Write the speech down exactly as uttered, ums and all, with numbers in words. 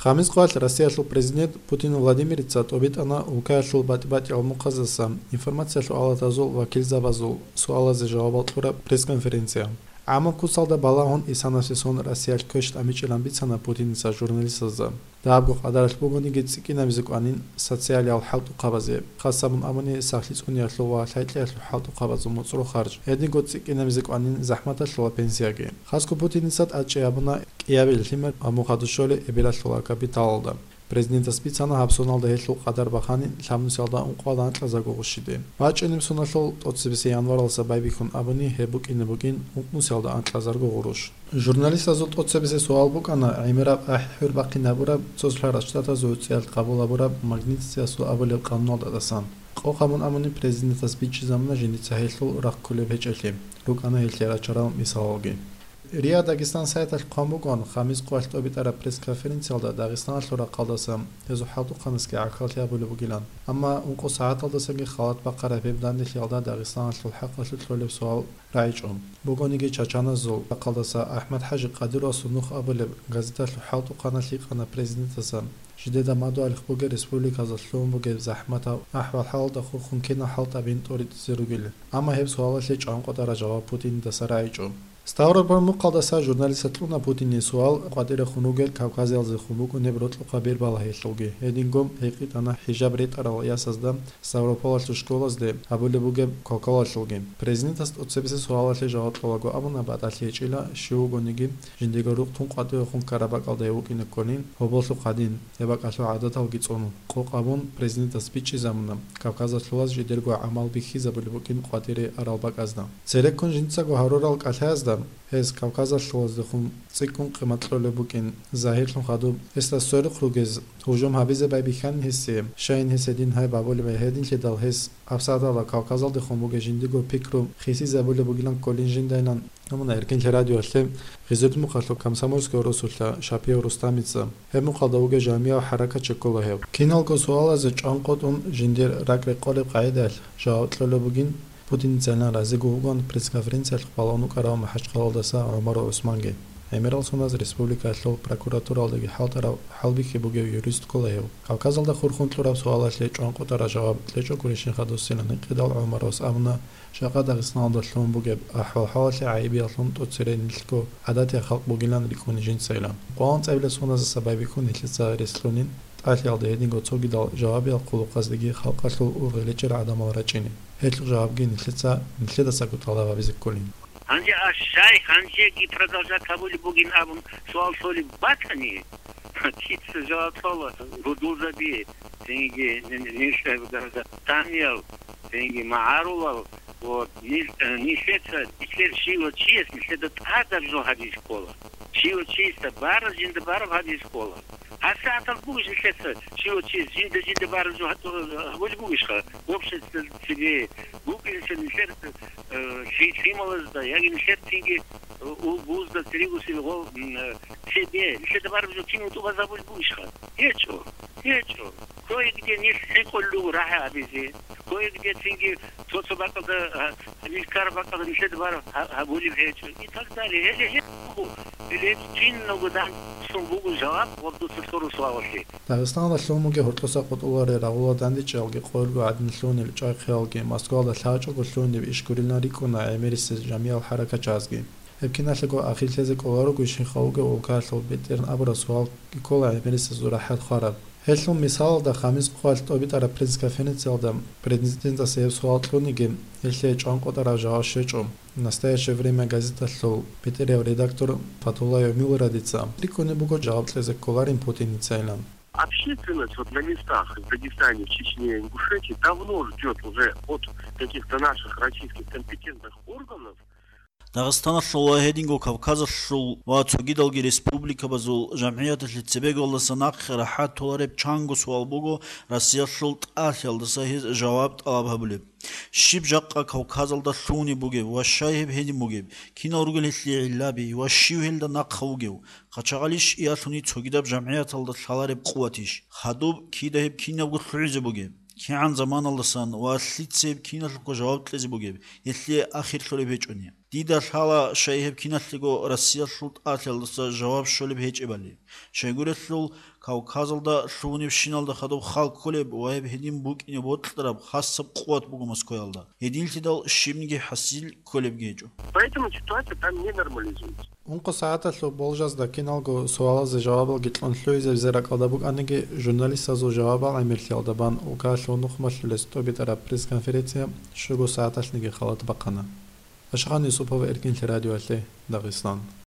Гъамис къоялъ Россиялъул президент Путин Владимирица тӀобитӀана улкаялъул батӀи-батӀиял мухъаздаса информациялъул алатазул вакилзабазул суалазе жавабал кьураб пресс-конференция. ГӀамаб куцалда балагьун исанасе сон Россиялъ квеш тӀамичӀилан бицана Путиница журналистазда. Дагьабго къадаралъ бугониги цӀикӀкӀинабизе кӀванин социалиял хӀалтӀухъабазе, хасабун абуни сахлъи цӀуниялъул ва лъай-кьиялъул хӀалтӀухъабазул моцӀрол харж, гьединго цӀикӀкӀинабизе кӀванин захӀматалъула пенсияги. Хасго Путиница тӀадчӀей гьабуна кӀиябил лъимер ва мухъадушоли эбелалъула капиталалда. Президентас бицана гьаб соналда гьелъул къадар баханин лъабнусиялда ункъоялда анкьазарго гъущиде. БачӀунеб соналъул тӀоцебесеб январалдаса байбихьун абуни гьеб букӀине бугин ункънусиялда анкьазарго гъурущ. Журналистазул тӀоцебесеб суал букӀана гӀемераб ахӀи-хӀур бахъинабураб Цоцлъарал Штатазул цӀиялъ къабул гьабураб Магнитскиясул абулеб къануналдасан. Къокъ гьабун абуни президентас бичӀчӀизабуна жиндица гьелъул рахъ кколеб гьечӀелъи, рукӀана гьелъие рачарал мисалалги. РИА Дагестан сайталъ хъван букӀун, гъамис къоялъ тӀобитӀараб пресс-конференциялда Дагъистаналъул рахъалдаса гьезул хӀалтӀухъанасги гӀахьаллъи гьабулеб бугилан. Амма ункъо сагӀаталдасаги халат бахъараб гьеб данделъиялда Дагъистаналъул хӀакъалъулъ кколеб суал рагӀичӀо. Бугониги чачаназул рахъалдаса АхӀмад-ХӀажи Къадировасул нух абулеб газеталъул хӀалтӀухъаналъ гьикъана президентаса, жидеда мадугьалихъ бугеб республиказда лъугьун бугеб захӀматаб ахӀвал-хӀалалда хурхун кинал хӀалтӀабин тӀоритӀизе ругел. Амма гьеб суалалъе чӀванкъотӀараб жаваб Путиндаса рагӀичӀо. Ставрополь мукъалдаса журналистас кьуна Путине суал къватӀирехун ругел кавказиялдехун букӀунеб рокьухъа бер балагьиялъулги, гьединго гьикъитӀана хӀижаб ретӀарал ясазда Ставрополалъул школазде гьабулеб бугеб квалквалалъулги. Президентас тӀоцебесеб суалалъе жаваб кьолаго абуна, батӀалъи гьечӀила, щив вугониги, жиндиего рукъ тун къватӀивехун ккараб бакӀалда гьев вукӀине кколин, гьоболлъухъ гьадин, гьеб бакӀалъул гӀадаталги цӀуну. Къокъ абун, президентас бичӀчӀизабуна, кавказалъулаз жидерго гӀамал бихьизабулеб букӀин къватӀире арал бакӀазда. Цереккун жинцаго гьарурал кӀалъаязда, гьез кавказалъулаздехун цӀикӀкӀун къимат кьолеб букӀин, загьирлъун хадуб, гьесда сверухъ ругез, гьужум гьабизе байбихьанин гьесие, щайин гьес гьедин гьай бабулеб гьединлъидал гьес абсадала кавказалдехун бугеб жиндиго пикру хисизабулеб бугилан кколин жиндайилан. Амма Эркинлъи радиоялъе Гъизирдмухъалъул Комсомольская росулъа Шапиев Рустамица, гьеб мухъалда вугев жамияв хӀаракатчи ккола гьев. Киналго суалазе чӀванкъотӀун жиндир ракӀ-рекъолеб къагӀидаялъ жаваб кьолеб бугин, Путиницайилан разиго вугоан пресс-конференциялъухъ балагьун вукӀарав МахӀачхъалалдаса ГӀумаров ГӀусманги. ГӀемерал соналъ республикаялъул прокуратуралдаги хӀалтӀарав хӀалбихьи бугев юрист ккола гьев. Кавказалда хурхун кьураб суалалъе чӀванкъотӀараб жаваб кьечӀогурищинха дуссилан гьикъидал, ГӀумаровас абуна, жакъа Дагъистаналда лъугьун бугеб ахӀвал-хӀалалъе гӀайибиялъун тӀоцере нилъго гӀадатиял халкъ бугилан рикӀкӀуна жинцайилан. Къвалан цӀабилеб соназдаса байбихьун нилъеца рес лъунин, тӀалъиялда гьединго цогидал жавабиял хъулухъаздеги халкъалъул ургъелечӀел гӀадамал рачӀине. Гьелъул жавабги нилъеца, нилъедасаго тӀалаб гьабизе кколин. Гьанже а щай гьанжеги продолжать гьабулеб бугин абун суал лъолеб батани, кица жаваб кьола, гьудулзаби, цинги нилъер гражданиял, цинги магӀарулал, вот, нил-, э, нилъеца, нилъер щивав чияс нилъеда тӀадараб жо гьабизе ккола. Щивав чиясда бараб, жинда бараб гьабизе ккола. ГьасагӀаталъ бугищ нилъеца щивав чияс жинда-жинда бараб жо гьабулеб бугищха? Общество цебе букӀинчӀо нилъер, э, лъи-, лъималазда, яги нилъер цинги, э, у-, бузда церегусел гъо-, м, э, цебе, нилъеда бараб жо кинав тӀубаз гьабулеб бугищха? ГьечӀо, гьечӀо. Кое-где нилъ хӀинкъулел руго рагӀи гьабизе, кое-где цинги цо-цо бакӀалда, а, нилъ ккараб бакӀалда нилъеда бараб гьа-, гьабулеб гьечӀо, и так далее. Гьеле гьеб буго, гьеле гьеб киналго данделъун буго жаваб гъаб дуца лъурал суалалъе. Дагъистаналда лъугьун бугеб гьоркьоса къотӀуларел рагъулал дандечӀеялги къоялго гӀадин лъугьунел чӀвай-хъиялги, Москвалда лъачӀого лъугьунеб иш гурилан рикӀкӀуна гӀемерисез жамиял хӀаракатчи азги. Гьеб киналъего ахирлъизе кӀоларо гуйщинха вугев улкаялъул бетӀергьан абураб суал ккола гӀемерисезул рахӀат хвараб. Гьелъул мисалалда, гъамис къоялъ тӀобитӀараб пресс-конференциялда президентасе гьеб суал кьуниги, гьелъие чӀванкъотӀараб жаваб щвечӀо. «Настоящее время» газеталъул бетӀерав редактор Фатуллаев Милрадица рикӀкӀунеб буго жаваб кьезе кколарин Путиницайилан. Общественность вот на местах в Дагестане, в Чечне, Ингушетии давно ждёт уже от каких-то наших российских компетентных органов. Дагъистаналъул ва гьединго Кавказалъул ва цогидалги республикабазул жамгӀияталъе цебеголдаса нахъе рахӀат толареб чанго суал буго Россиялъул тӀалъиялдаса гьез жаваб тӀалаб гьабулеб. Щиб жакъа Кавказалда лъугьунеб бугеб ва щай гьеб гьедин бугеб? Кинал ругел гьелъие гӀиллаби ва щив гьелда нахъа вугев? Къачагъалищ иялъуни цогидаб жамгӀияталда лъалареб къуватищ? Хадуб кида гьеб кинабго лъугӀизе бугеб? КигӀан заманалдасан ва лъица гьеб киналъухъа жаваб кьезе бугеб, гьелъие ахир лъолеб гьечӀони? Дида лъала, щай гьеб киналъего Россиялъул тӀалъиялдаса жаваб щолеб гьечӀебали. Щайгурелъул, Кавказалда лъугьунебщиналда хадуб хал кколеб ва гьеб гьедин букӀине бокьараб хасаб къуват буго Москваялда. Гьединлъидал щибниги хӀасил кколебги гьечӀо. Поэтому ситуация там не нормализуется. Ункъо сагӀаталъул болжазда киналго суалазе жавабалги кьун лъугьизабизе ракӀалда букӀаниги, журналистазул жавабал гӀемерлъиялда бан УК-лъул нухмалъулес тӀобитӀараб пресс-конференция щуго сагӀаталъниги халат бахъана. Ашгъан Юсупов, Эркинлъи радиоялъе, Дагъистан.